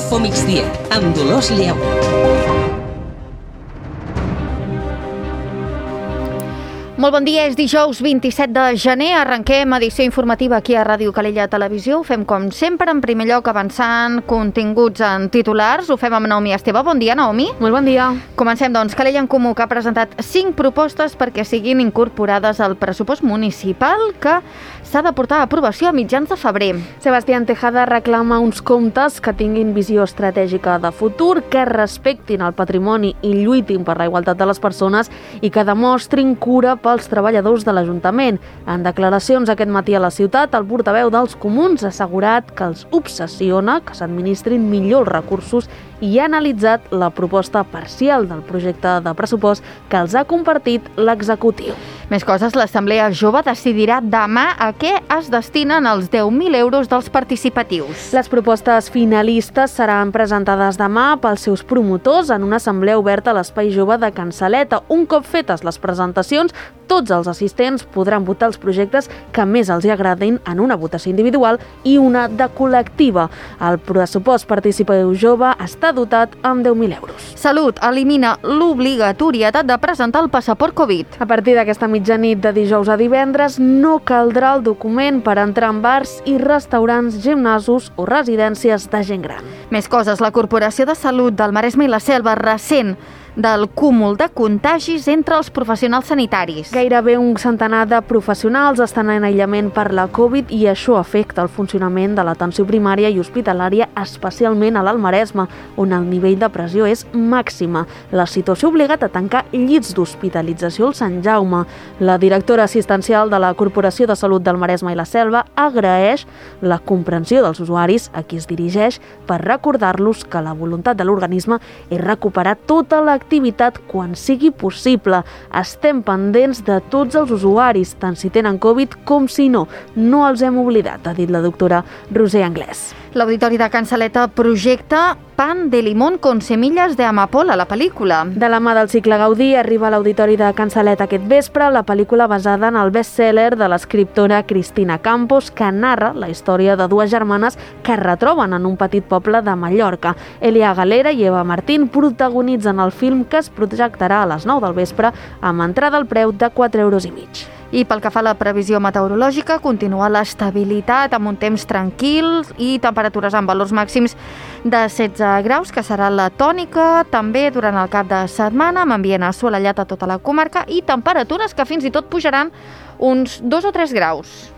Infomigdia, amb Dolors Lleó. Molt bon dia, és dijous 27 de gener, arrenquem edició informativa aquí a Ràdio Calella Televisió. Ho fem com sempre, en primer lloc avançant continguts en titulars. Ho fem amb Naomi Esteve. Bon dia, Naomi. Molt bon dia. Comencem, doncs. Calella en Comú, que ha presentat 5 propostes perquè siguin incorporades al pressupost municipal que s'ha de portar a aprovació a mitjans de febrer. Sebastián Tejada reclama uns comptes que tinguin visió estratègica de futur, que respectin el patrimoni i lluitin per la igualtat de les persones i que demostrin cura pels treballadors de l'Ajuntament. En declaracions aquest matí a la ciutat, el portaveu dels Comuns ha assegurat que els obsessiona que s'administrin millor els recursos i ha analitzat la proposta parcial del projecte de pressupost que els ha compartit l'executiu. Més coses, l'Assemblea Jove decidirà demà a què es destinen els 10.000 euros dels participatius. Les propostes finalistes seran presentades demà pels seus promotors en una assemblea oberta a l'Espai Jove de Can Saleta. Un cop fetes les presentacions, tots els assistents podran votar els projectes que més els agradin en una votació individual i una de col·lectiva. El pressupost participatiu jove està dotat amb 10.000 euros. Salut elimina l'obligatorietat de presentar el passaport Covid. A partir d'aquesta mitjanit de dijous a divendres no caldrà el document per entrar en bars i restaurants, gimnasos o residències de gent gran. Més coses, la Corporació de Salut del Maresme i la Selva ressent del cúmul de contagis entre els professionals sanitaris. Gairebé un centenar de professionals estan en aïllament per la Covid i això afecta el funcionament de l'atenció primària i hospitalària, especialment a l'Alt Maresme, on el nivell de pressió és màxima. La situació ha obligat a tancar llits d'hospitalització al Sant Jaume. La directora assistencial de la Corporació de Salut del Maresme i la Selva agraeix la comprensió dels usuaris a qui es dirigeix per recordar-los que la voluntat de l'organisme és recuperar tota l'activitat quan sigui possible. Estem pendents de tots els usuaris, tant si tenen Covid com si no. No els hem oblidat, ha dit la doctora Roser Anglès. L'Auditori de Can Saleta projecta Pan de limón con semillas de amapola, la pel·lícula. De la mà del cicle Gaudí arriba a l'Auditori de Can Saleta aquest vespre la pel·lícula basada en el best-seller de l'escriptora Cristina Campos, que narra la història de dues germanes que es retroben en un petit poble de Mallorca. Elia Galera i Eva Martín protagonitzen el film, que es projectarà a les 9 del vespre amb entrada al preu de 4,5 euros. I pel que fa a la previsió meteorològica, continua l'estabilitat amb un temps tranquil i temperatures amb valors màxims de 16 graus, que serà la tònica també durant el cap de setmana, amb ambient assolellat a tota la comarca i temperatures que fins i tot pujaran uns 2 o 3 graus.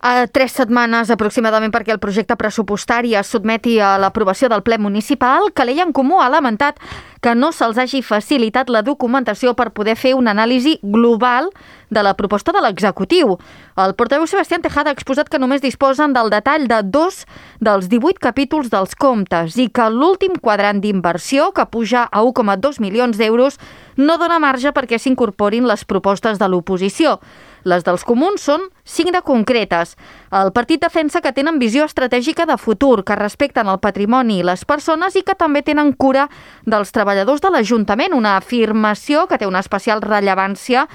A 3 setmanes aproximadament perquè el projecte pressupostari es sotmeti a l'aprovació del ple municipal, Calella en Comú ha lamentat que no se'ls hagi facilitat la documentació per poder fer una anàlisi global de la proposta de l'executiu. El portaveu Sebastián Tejada ha exposat que només disposen del detall de 2 dels 18 capítols dels comptes i que l'últim quadrant d'inversió, que puja a 1,2 milions d'euros, no dona marge perquè s'incorporin les propostes de l'oposició. Les dels comuns són 5 de concretes. El partit defensa que tenen visió estratègica de futur, que respecten el patrimoni i les persones i que també tenen cura dels treballadors de l'Ajuntament, una afirmació que té una especial rellevància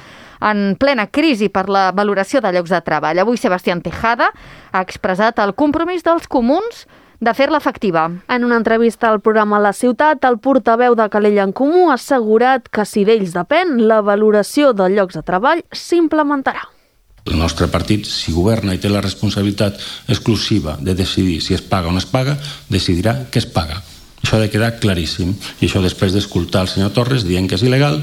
en plena crisi per la valoració de llocs de treball. Avui Sebastián Tejada ha expressat el compromís dels comuns de fer-la efectiva. En una entrevista al programa La Ciutat, el portaveu de Calella en Comú ha assegurat que si d'ells depèn, la valoració de llocs de treball s'implementarà. El nostre partit, si governa i té la responsabilitat exclusiva de decidir si es paga o no es paga, decidirà que es paga. Això ha de quedar claríssim. I això després d'escoltar el senyor Torres dient que és il·legal,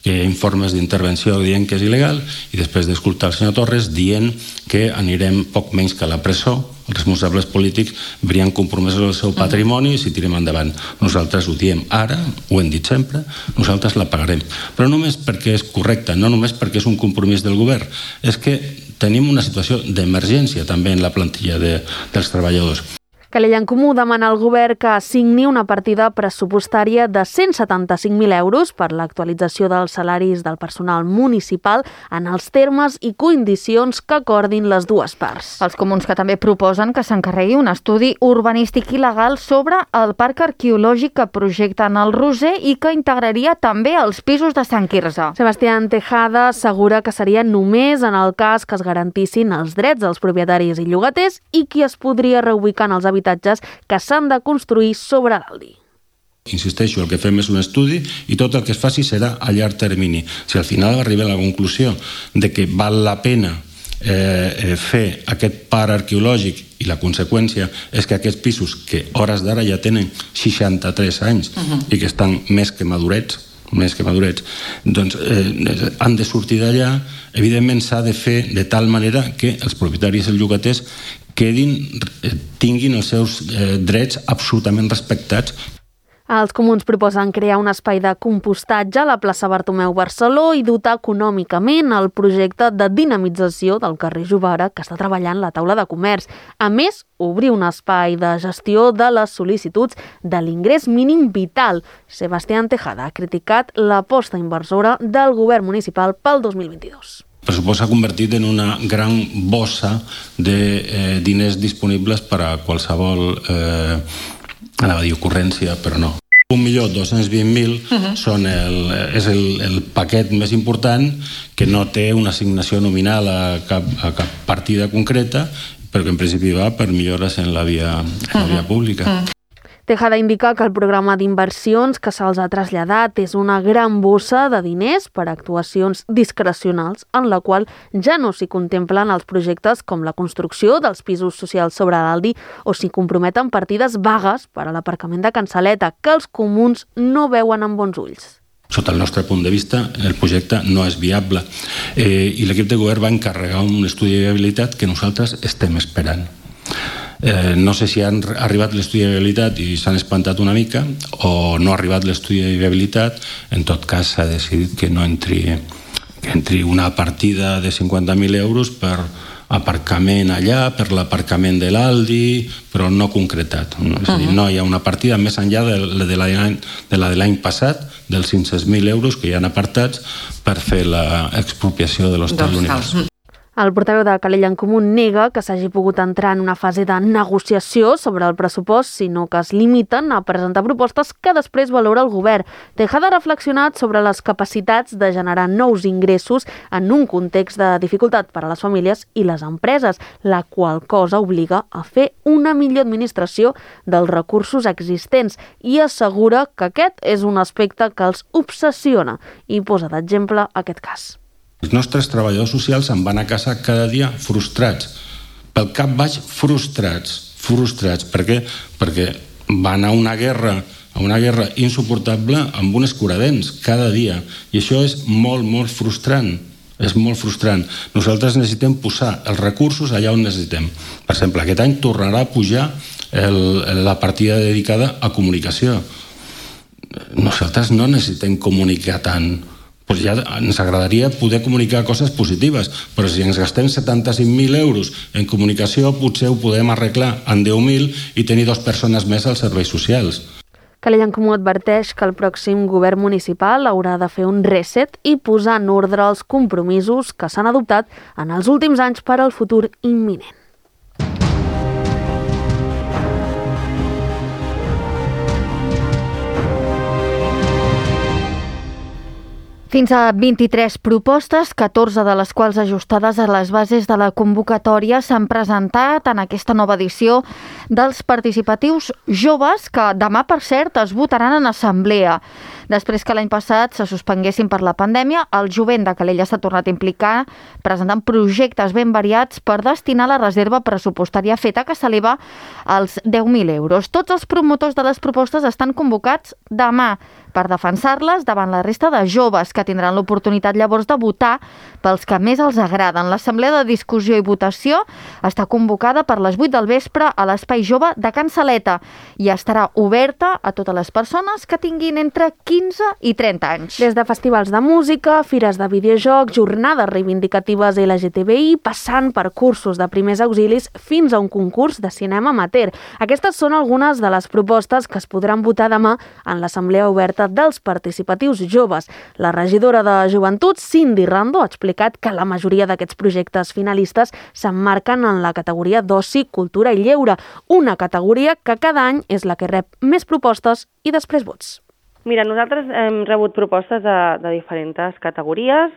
que hi ha informes d'intervenció dient que és il·legal, i després d'escoltar el senyor Torres dient que anirem poc menys que a la presó, els responsables polítics verien compromesos el seu patrimoni si tirem endavant. Nosaltres ho diem ara, ho hem dit sempre, nosaltres la pagarem. Però només perquè és correcte, no només perquè és un compromís del govern, és que tenim una situació d'emergència també en la plantilla dels treballadors. Calella en Comú demana al govern que assigni una partida pressupostària de 175.000 euros per l'actualització dels salaris del personal municipal en els termes i condicions que acordin les dues parts. Els comuns que també proposen que s'encarregui un estudi urbanístic i legal sobre el parc arqueològic que projecten al Roser i que integraria també els pisos de Sant Quirze. Sebastián Tejada assegura que seria només en el cas que es garantissin els drets dels propietaris i llogaters i qui es podria reubicar en els habitatges que s'han de construir sobre l'Aldi. Insisteixo, el que fem és un estudi i tot el que es faci serà a llarg termini. Si al final arriba a la conclusió de que val la pena fer aquest parc arqueològic i la conseqüència és que aquests pisos que hores d'ara ja tenen 63 anys i que estan més que madurets, doncs han de sortir d'allà. Evidentment s'ha de fer de tal manera que els propietaris i els llogaters tinguin els seus drets absolutament respectats. Els comuns proposen crear un espai de compostatge a la plaça Bartomeu Barceló i dotar econòmicament el projecte de dinamització del carrer Jovara que està treballant la taula de comerç. A més, obrir un espai de gestió de les sol·licituds de l'ingrés mínim vital. Sebastián Tejada ha criticat l'aposta inversora del govern municipal pel 2022. El pressupost s'ha convertit en una gran bossa de diners disponibles per a qualsevol anava a dir ocurrència, però no. 1.220.000 és el paquet més important que no té una assignació nominal a cap partida concreta, però que en principi va per millores en la via pública. Tejada indica que el programa d'inversions que se'ls ha traslladat és una gran bossa de diners per a actuacions discrecionals en la qual ja no s'hi contemplen els projectes com la construcció dels pisos socials sobre l'Aldi o s'hi comprometen partides vagues per a l'aparcament de Cansaleta que els comuns no veuen amb bons ulls. Sota el nostre punt de vista, el projecte no és viable i l'equip de govern va encarregar un estudi de viabilitat que nosaltres estem esperant. No sé si han arribat l'estudi de viabilitat i s'han espantat una mica o no ha arribat l'estudi de viabilitat. En tot cas, s'ha decidit que no entri una partida de 50.000 euros per aparcament allà, per l'aparcament de l'Aldi, però no concretat. És a dir, no hi ha una partida més enllà de l'any passat, dels 500.000 euros que hi han apartats per fer l'expropiació de l'Hostal Univers. El portaveu de Calella en Comú nega que s'hagi pogut entrar en una fase de negociació sobre el pressupost, sinó que es limiten a presentar propostes que després valora el govern. Tejada ha reflexionat sobre les capacitats de generar nous ingressos en un context de dificultat per a les famílies i les empreses, la qual cosa obliga a fer una millor administració dels recursos existents i assegura que aquest és un aspecte que els obsessiona i posa d'exemple aquest cas. Els nostres treballadors socials se'n van a casa cada dia frustrats. Pel cap baix, frustrats. Per què? Perquè van a una guerra insuportable amb un escuradents cada dia. I això és molt, molt frustrant. És molt frustrant. Nosaltres necessitem posar els recursos allà on necessitem. Per exemple, aquest any tornarà a pujar la partida dedicada a comunicació. Nosaltres no necessitem comunicar tant. Doncs ja ens agradaria poder comunicar coses positives, però si ens gastem 75.000 euros en comunicació, potser ho podem arreglar en 10.000 i tenir 2 persones més als serveis socials. Calella en Comú adverteix que el pròxim govern municipal haurà de fer un reset i posar en ordre els compromisos que s'han adoptat en els últims anys per al futur imminent. Fins a 23 propostes, 14 de les quals ajustades a les bases de la convocatòria s'han presentat en aquesta nova edició dels participatius joves que demà, per cert, es votaran en assemblea. Després que l'any passat se suspenguessin per la pandèmia, el jovent de Calella s'ha tornat a implicar presentant projectes ben variats per destinar la reserva pressupostària feta que s'eleva als 10.000 euros. Tots els promotors de les propostes estan convocats demà per defensar-les davant la resta de joves que tindran l'oportunitat llavors de votar pels que més els agraden. L'assemblea de discussió i votació està convocada per les 8 del vespre a l'Espai Jove de Can Saleta i estarà oberta a totes les persones que tinguin entre 15 15 i 30 anys. Des de festivals de música, fires de videojocs, jornades reivindicatives LGTBI, passant per cursos de primers auxilis fins a un concurs de cinema amateur. Aquestes són algunes de les propostes que es podran votar demà en l'Assemblea Oberta dels Participatius Joves. La regidora de Joventut, Cindy Rando, ha explicat que la majoria d'aquests projectes finalistes s'emmarquen en la categoria d'oci, cultura i lleure, una categoria que cada any és la que rep més propostes i després vots. Mira, nosaltres hem rebut propostes de diferents categories,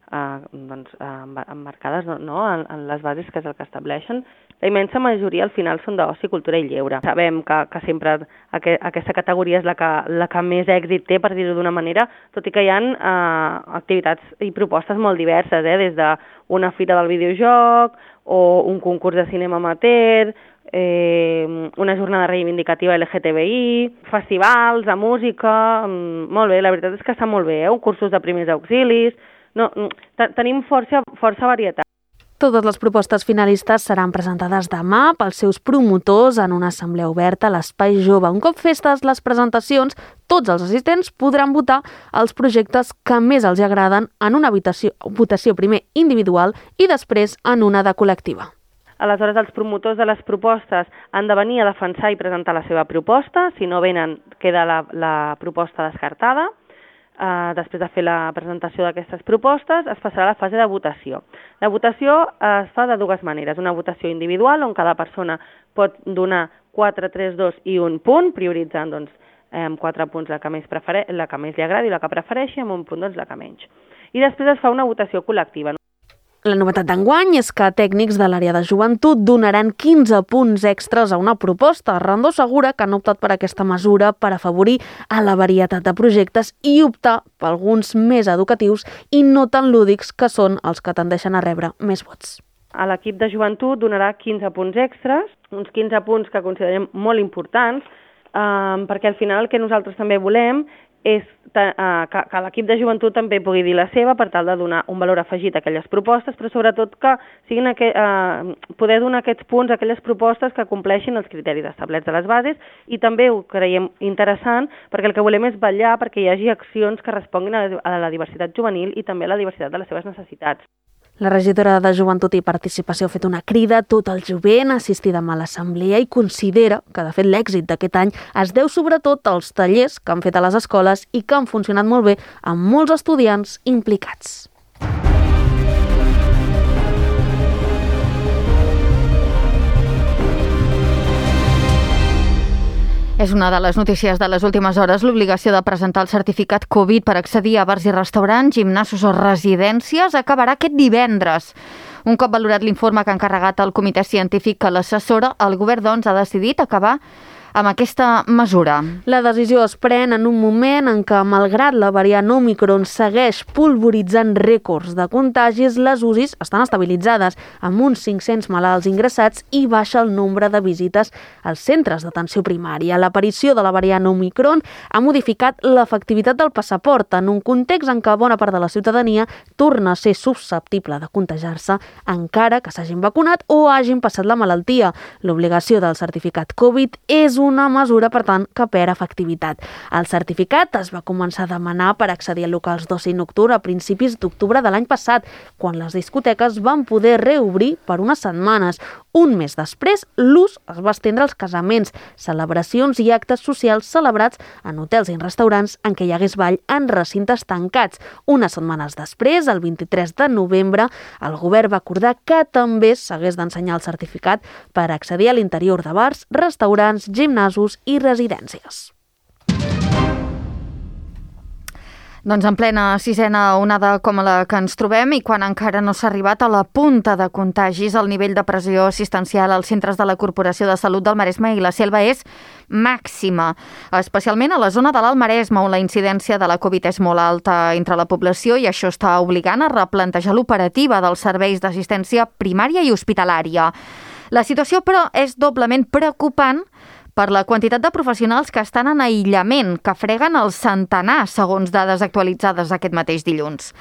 emmarcades en les bases que és el que estableixen. La immensa majoria al final són d'oci, cultura i lleure. Sabem que sempre aquesta categoria és la que més èxit té, per dir-ho d'una manera, tot i que hi ha activitats i propostes molt diverses, des d'una fira del videojoc o un concurs de cinema amateur, una jornada reivindicativa LGTBI, festivals de música, molt bé, la veritat és que està molt bé, cursos de primers auxilis, tenim força varietat. Totes les propostes finalistes seran presentades demà pels seus promotors en una assemblea oberta a l'Espai Jove. Un cop festes les presentacions, tots els assistents podran votar els projectes que més els agraden en una votació primer individual i després en una de col·lectiva. Aleshores, els promotors de les propostes han de venir a defensar i presentar la seva proposta. Si no venen, queda la proposta descartada. Després de fer la presentació d'aquestes propostes, es passarà a la fase de votació. La votació es fa de dues maneres. Una votació individual, on cada persona pot donar 4, 3, 2 i 1 punt, prioritzant 4 punts la que més li agradi, la que prefereixi, amb un punt la que menys. I després es fa una votació col·lectiva. La novetat d'enguany és que tècnics de l'àrea de joventut donaran 15 punts extras a una proposta. Rando assegura que han optat per aquesta mesura per afavorir a la varietat de projectes i optar per alguns més educatius i no tan lúdics, que són els que tendeixen a rebre més vots. A l'equip de joventut donarà 15 punts extras, uns 15 punts que considerem molt importants, perquè al final el que nosaltres també volem és que l'equip de joventut també pugui dir la seva per tal de donar un valor afegit a aquelles propostes, però sobretot que siguin poder donar aquests punts a aquelles propostes que compleixin els criteris establerts a les bases, i també ho creiem interessant perquè el que volem és vetllar perquè hi hagi accions que responguin a la diversitat juvenil i també a la diversitat de les seves necessitats. La regidora de Joventut i Participació ha fet una crida a tot el jovent a assistir demà a l'assemblea i considera que, de fet, l'èxit d'aquest any es deu sobretot als tallers que han fet a les escoles i que han funcionat molt bé amb molts estudiants implicats. És una de les notícies de les últimes hores, l'obligació de presentar el certificat Covid per accedir a bars i restaurants, gimnasos o residències acabarà aquest divendres. Un cop valorat l'informe que ha encarregat el comitè científic que l'assessora, el govern, doncs, ha decidit acabar amb aquesta mesura. La decisió es pren en un moment en què, malgrat la variant Omicron segueix polvoritzant rècords de contagis, les UCIs estan estabilitzades, amb uns 500 malalts ingressats i baixa el nombre de visites als centres d'atenció primària. L'aparició de la variant Omicron ha modificat l'efectivitat del passaport en un context en què bona part de la ciutadania torna a ser susceptible de contagiar-se encara que s'hagin vacunat o hagin passat la malaltia. L'obligació del certificat Covid és una mesura, per tant, que perd efectivitat. El certificat es va començar a demanar per accedir a locals d'oci nocturn a principis d'octubre de l'any passat, quan les discoteques van poder reobrir per unes setmanes. Un mes després, l'ús es va estendre als casaments, celebracions i actes socials celebrats en hotels i en restaurants en què hi hagués ball en recintes tancats. Unes setmanes després, el 23 de novembre, el govern va acordar que també s'hagués d'ensenyar el certificat per accedir a l'interior de bars, restaurants, gimnasos i residències. Doncs en plena sisena onada com la que ens trobem i quan encara no s'ha arribat a la punta de contagis, el nivell de pressió assistencial als centres de la Corporació de Salut del Maresme i la Selva és màxima, especialment a la zona de l'Alt Maresme, on la incidència de la Covid és molt alta entre la població i això està obligant a replantejar l'operativa dels serveis d'assistència primària i hospitalària. La situació, però, és doblement preocupant per la quantitat de professionals que estan en aïllament, que freguen el centenar, segons dades actualitzades aquest mateix dilluns.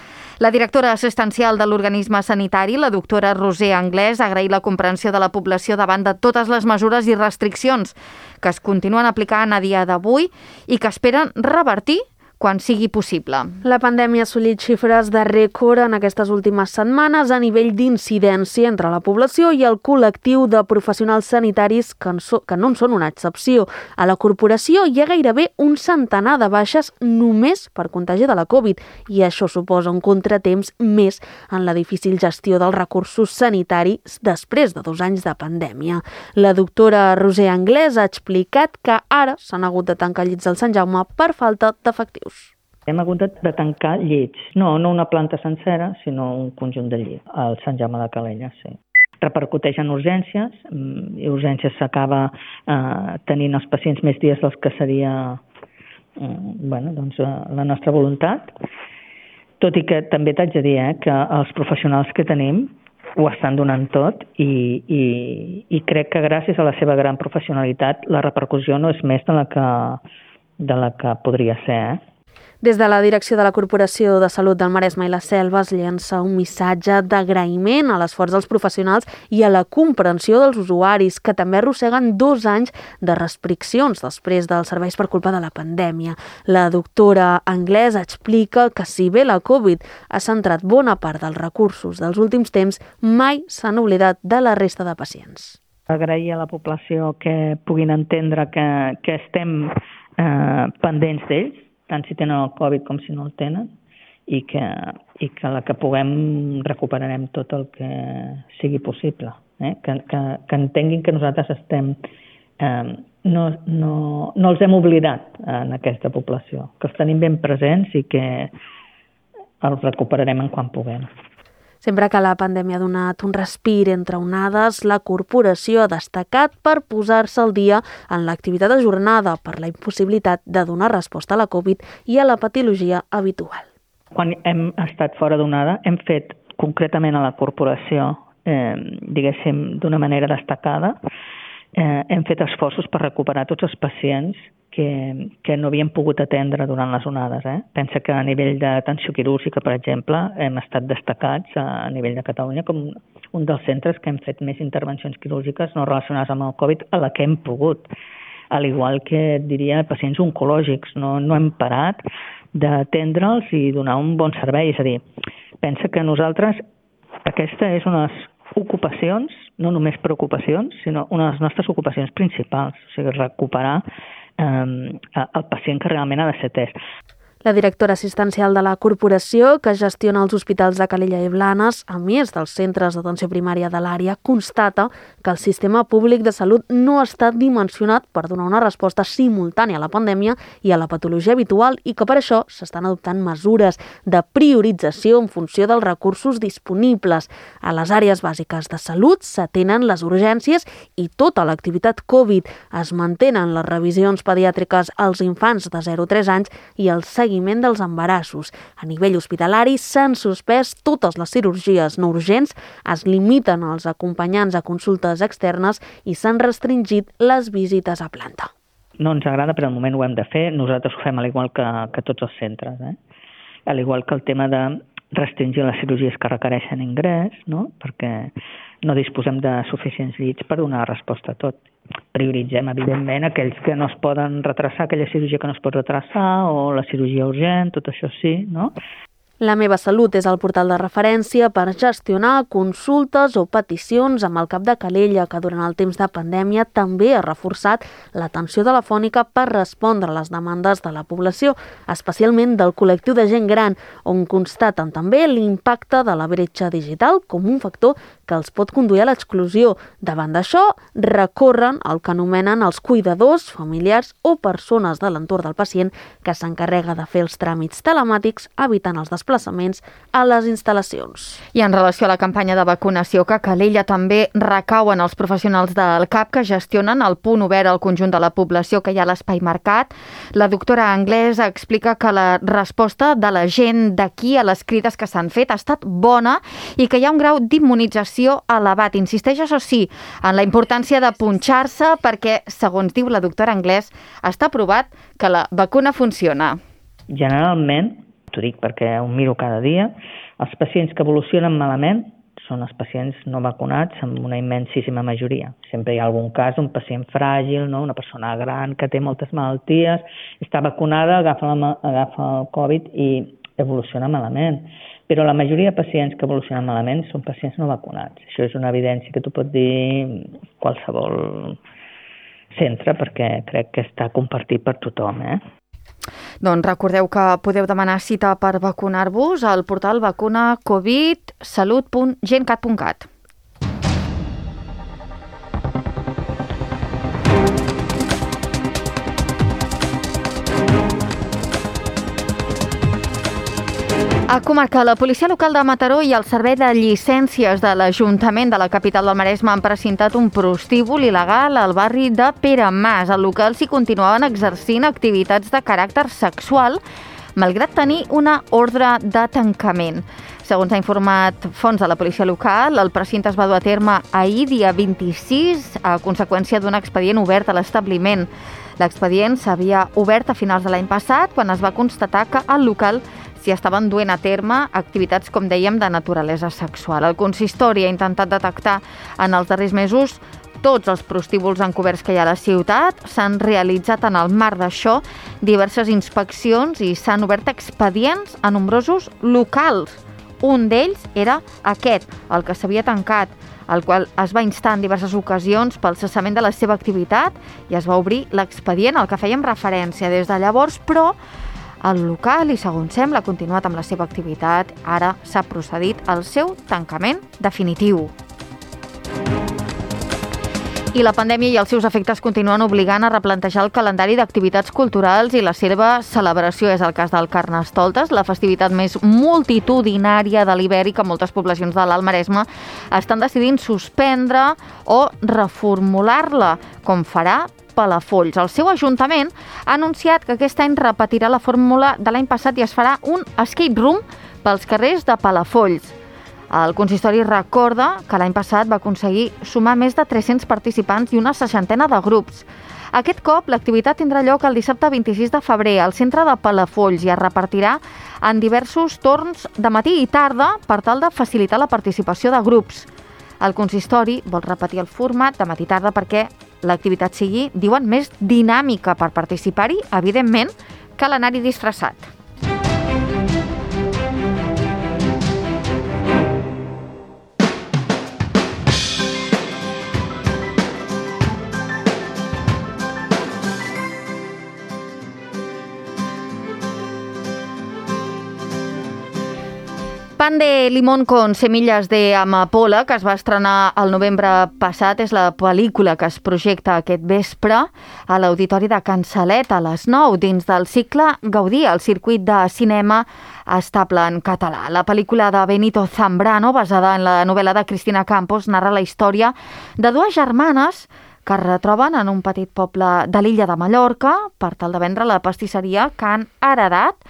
La directora assistencial de l'organisme sanitari, la doctora Roser Anglès, ha agraït la comprensió de la població davant de totes les mesures i restriccions que es continuen aplicant a dia d'avui i que esperen revertir quan sigui possible. La pandèmia ha assolit xifres de rècord en aquestes últimes setmanes a nivell d'incidència entre la població i el col·lectiu de professionals sanitaris que no en són una excepció. A la corporació hi ha gairebé un centenar de baixes només per contagi de la Covid i això suposa un contratemps més en la difícil gestió dels recursos sanitaris després de 2 anys de pandèmia. La doctora Roser Anglès ha explicat que ara s'han hagut de tancar llits al Sant Jaume per falta d'efectius. Hem hagut de tancar llits, no una planta sencera, sinó un conjunt de llits, al Sant Jaume de Calella, sí. Repercuteix en urgències, i urgències s'acaba tenint els pacients més dies dels que seria la nostra voluntat, tot i que també t'haig de dir que els professionals que tenim ho estan donant tot i crec que gràcies a la seva gran professionalitat la repercussió no és més de la que podria ser. Des de la direcció de la Corporació de Salut del Maresme i la Selva es llença un missatge d'agraïment a l'esforç dels professionals i a la comprensió dels usuaris, que també arrosseguen 2 anys de restriccions després dels serveis per culpa de la pandèmia. La doctora Anglès explica que si bé la Covid ha centrat bona part dels recursos dels últims temps, mai s'han oblidat de la resta de pacients. Agrair a la població que puguin entendre que estem pendents d'ells, tant si tenen el Covid com si no el tenen, i que la que puguem recuperarem tot el que sigui possible. Que entenguin que nosaltres estem... No els hem oblidat en aquesta població, que els tenim ben presents i que els recuperarem en quan puguem. Sempre que la pandèmia ha donat un respir entre onades, la corporació ha destacat per posar-se al dia en l'activitat ajornada per la impossibilitat de donar resposta a la Covid i a la patologia habitual. Quan hem estat fora d'onada, hem fet concretament a la corporació, diguéssim, d'una manera destacada, hem fet esforços per recuperar tots els pacients que no havien pogut atendre durant les onades. Pensa que a nivell d'atenció quirúrgica, per exemple, hem estat destacats a nivell de Catalunya com un dels centres que hem fet més intervencions quirúrgiques no relacionades amb el Covid a la que hem pogut. Al igual que, diria, pacients oncològics. No hem parat d'atendre'ls i donar un bon servei. És a dir, pensa que nosaltres, aquesta és unes ocupacions, no només preocupacions, sinó una de les nostres ocupacions principals, o sigui, recuperar el pacient que realment ha de ser atès. La directora assistencial de la corporació, que gestiona els hospitals de Calella i Blanes, a més dels centres d'atenció primària de l'àrea, constata que el sistema públic de salut no ha estat dimensionat per donar una resposta simultània a la pandèmia i a la patologia habitual i que per això s'estan adoptant mesures de priorització en funció dels recursos disponibles. A les àrees bàsiques de salut s'atenen les urgències i tota l'activitat Covid. Es mantenen les revisions pediàtriques als infants de 0 a 3 anys i el seguiment dels embarassos. A nivell hospitalari s'han suspès totes les cirurgies no urgents, es limiten els acompanyants a consultes externes i s'han restringit les visites a planta. No ens agrada, però al moment ho hem de fer. Nosaltres ho fem al igual que tots els centres. Al igual que el tema de restringir les cirurgies que requereixen ingrés, no? Perquè no disposem de suficients llits per donar resposta a tot. Prioritzem, evidentment, aquells que no es poden retrasar, aquella cirurgia que no es pot retrasar, o la cirurgia urgent, tot això sí, no? La Meva Salut és el portal de referència per gestionar consultes o peticions amb el CAP de Calella, que durant el temps de pandèmia també ha reforçat l'atenció telefònica per respondre a les demandes de la població, especialment del col·lectiu de gent gran, on constaten també l'impacte de la bretxa digital com un factor que els pot conduir a l'exclusió. Davant d'això, recorren el que anomenen els cuidadors, familiars o persones de l'entorn del pacient que s'encarrega de fer els tràmits telemàtics, evitant els desplaçaments desplaçaments a les instal·lacions. I en relació a la campanya de vacunació que Calella també recau en els professionals del CAP que gestionen el punt obert al conjunt de la població que hi ha a l'Espai Mercat, la doctora Anglès explica que la resposta de la gent d'aquí a les crides que s'han fet ha estat bona i que hi ha un grau d'immunització elevat. Insisteix, això sí, en la importància de punxar-se perquè, segons diu la doctora Anglès, està provat que la vacuna funciona. Generalment, t'ho dic perquè ho miro cada dia, els pacients que evolucionen malament són els pacients no vacunats en una immensíssima majoria. Sempre hi ha algun cas, un pacient fràgil, no? Una persona gran que té moltes malalties, està vacunada, agafa el Covid i evoluciona malament. Però la majoria de pacients que evolucionen malament són pacients no vacunats. Això és una evidència que t'ho pot dir qualsevol centre perquè crec que està compartit per tothom, Doncs recordeu que podeu demanar cita per vacunar-vos al portal vacunacovidsalut.gencat.cat. A comarca, la policia local de Mataró i el servei de llicències de l'Ajuntament de la capital del Maresme han presentat un prostíbul il·legal al barri de Peramàs. Al local s'hi continuaven exercint activitats de caràcter sexual, malgrat tenir una ordre de tancament. Segons ha informat fonts de la policia local, el precinte es va dur a terme ahir, dia 26, a conseqüència d'un expedient obert a l'establiment. L'expedient s'havia obert a finals de l'any passat, quan es va constatar que al local s'hi estaven duent a terme activitats, com dèiem, de naturalesa sexual. El consistori ha intentat detectar en els darrers mesos tots els prostíbuls encoberts que hi ha a la ciutat. S'han realitzat en el marc d'això diverses inspeccions i s'han obert expedients a nombrosos locals. Un d'ells era aquest, el que s'havia tancat, al qual es va instar en diverses ocasions pel cessament de la seva activitat i es va obrir l'expedient al que fèiem referència des de llavors, però el local, i segons sembla, ha continuat amb la seva activitat. Ara s'ha procedit al seu tancament definitiu. I la pandèmia i els seus efectes continuen obligant a replantejar el calendari d'activitats culturals i la seva celebració. És el cas del Carnestoltes, la festivitat més multitudinària de l'hivern i que moltes poblacions de l'Alt Maresme estan decidint suspendre o reformular-la, com farà Palafolls. El seu ajuntament ha anunciat que aquest any repetirà la fórmula de l'any passat i es farà un escape room pels carrers de Palafolls. El consistori recorda que l'any passat va aconseguir sumar més de 300 participants i una 60ena de grups. Aquest cop l'activitat tindrà lloc el dissabte 26 de febrer al centre de Palafolls i es repartirà en diversos torns de matí i tarda per tal de facilitar la participació de grups. El consistori vol repetir el format de matí i tarda perquè l'activitat sigui, diuen, més dinàmica per participar-hi, evidentment, que l'anar-hi disfressat. Pan de limón con semillas de amapola, que es va estrenar el novembre passat, és la pel·lícula que es projecta aquest vespre a l'Auditori de Can Salet a les 9, dins del cicle Gaudí, el circuit de cinema estable en català. La pel·lícula de Benito Zambrano, basada en la novel·la de Cristina Campos, narra la història de dues germanes que es retroben en un petit poble de l'illa de Mallorca per tal de vendre la pastisseria que han heredat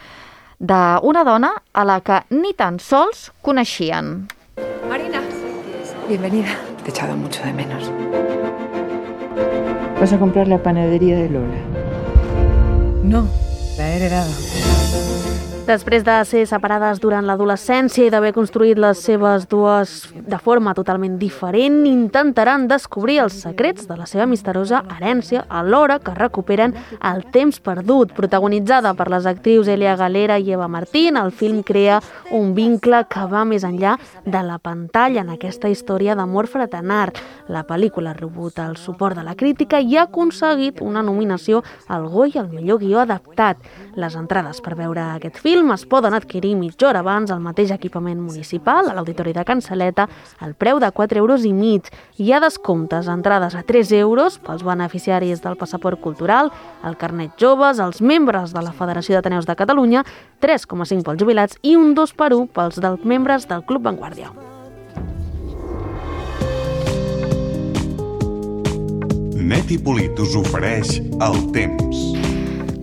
d'una dona a la que ni tan sols coneixien. Marina, bienvenida. Te he echado mucho de menos. ¿Vas a comprar la panadería de Lola? No, la he heredado. Després de ser separades durant l'adolescència i d'haver construït les seves dues de forma totalment diferent, intentaran descobrir els secrets de la seva misteriosa herència alhora que recuperen el temps perdut. Protagonitzada per les actrius Elia Galera i Eva Martín, el film crea un vincle que va més enllà de la pantalla en aquesta història d'amor fraternal. La pel·lícula ha rebut el suport de la crítica i ha aconseguit una nominació al Goya al millor guió adaptat. Les entrades per veure aquest film film es poden adquirir mitja hora abans al mateix equipament municipal, a l'Auditori de Can Saleta, al preu de 4,5 € Hi ha descomptes, entrades a 3 € pels beneficiaris del passaport cultural, el carnet joves, els membres de la Federació d'Ateneus de Catalunya, 3,5 pels jubilats i un 2x1 pels membres del Club Vanguardia. Net i Polit us ofereix el temps.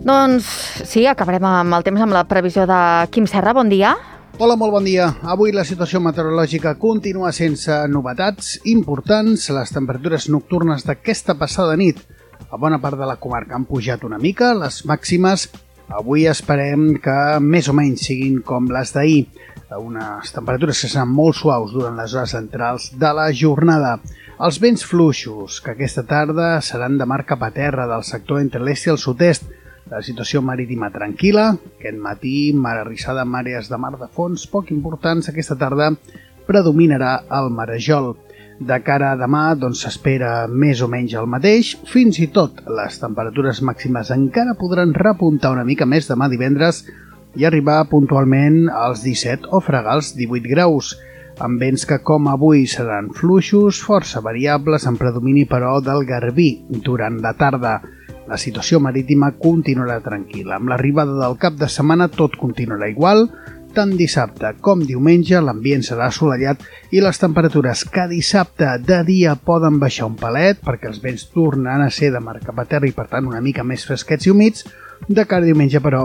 Doncs sí, acabarem amb el temps amb la previsió de Quim Serra. Bon dia. Hola, molt bon dia. Avui la situació meteorològica continua sense novetats importants. Les temperatures nocturnes d'aquesta passada nit a bona part de la comarca han pujat una mica. Les màximes avui esperem que més o menys siguin com les d'ahir. Unes temperatures que seran molt suaus durant les hores centrals de la jornada. Els vents fluixos, que aquesta tarda seran de mar cap a terra del sector entre l'est i el sud-est. La situació marítima tranquil·la, aquest matí mar arrissada amb àrees de mar de fons poc importants. Aquesta tarda predominarà el marejol. De cara a demà s'espera més o menys el mateix. Fins i tot les temperatures màximes encara podran repuntar una mica més demà divendres i arribar puntualment als 17 o fregar els 18 graus, amb vents que com avui seran fluixos, força variables, en predomini però del garbí durant la tarda. La situació marítima continuarà tranquil·la. Amb l'arribada del cap de setmana tot continuarà igual. Tant dissabte com diumenge l'ambient serà assolellat i les temperatures que dissabte de dia poden baixar un palet perquè els vents tornaran a ser de mar cap a terra i per tant una mica més fresquets i humits. De cara a diumenge però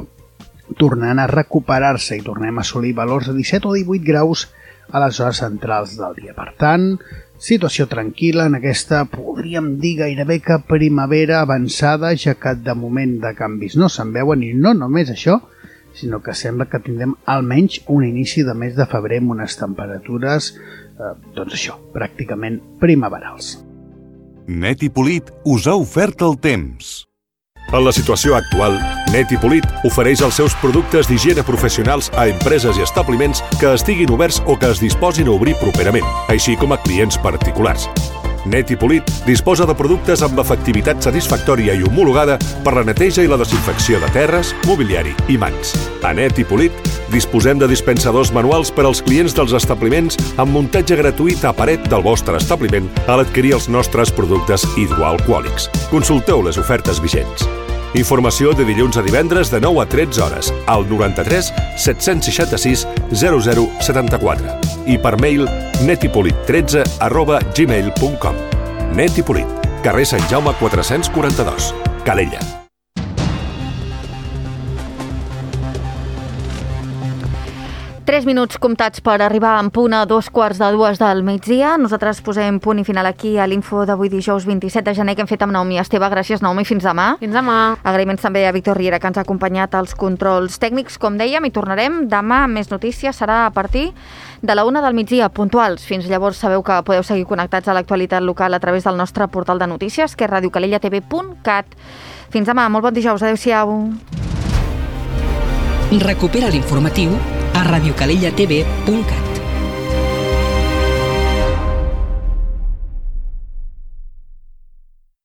tornaran a recuperar-se i tornem a assolir valors de 17 o 18 graus a les hores centrals del dia. Per tant, situació tranquil·la en aquesta, podríem dir gairebé que primavera avançada, ja que de moment de canvis no se'n veuen i no només això, sinó que sembla que tindrem almenys un inici de mes de febrer amb unes temperatures, pràcticament primaverals. Net i Polit us ha ofert el temps. En la situació actual, Net i Polit ofereix els seus productes d'higiene professionals a empreses i establiments que estiguin oberts o que es disposin a obrir properament, així com a clients particulars. Net i Polit disposa de productes amb efectivitat satisfactòria i homologada per la neteja i la desinfecció de terres, mobiliari i mans. A Net i Polit disposem de dispensadors manuals per als clients dels establiments amb muntatge gratuït a paret del vostre establiment a l'adquirir els nostres productes hidroalcohòlics. Consulteu les ofertes vigents. Informació de dilluns a divendres de 9 a 13 hores al 93 766 0074 i per mail netipolit13@gmail.com. Net i Polit, carrer Sant Jaume 442, Calella. Tres minuts comptats per arribar en punt a 2:45 del migdia. Nosaltres posem punt i final aquí a l'info d'avui dijous 27 de gener que hem fet amb Naomi Esteve. Gràcies, Naomi. Fins demà. Fins demà. Agraïments també a Víctor Riera, que ens ha acompanyat als controls tècnics. Com dèiem, i tornarem demà amb més notícies. Serà a partir de la 1 del migdia, puntuals. Fins llavors sabeu que podeu seguir connectats a l'actualitat local a través del nostre portal de notícies, que és radiocalellatv.cat. Fins demà. Molt bon dijous. Adéu-siau. Recupera l'informatiu a radiocalellatv.cat.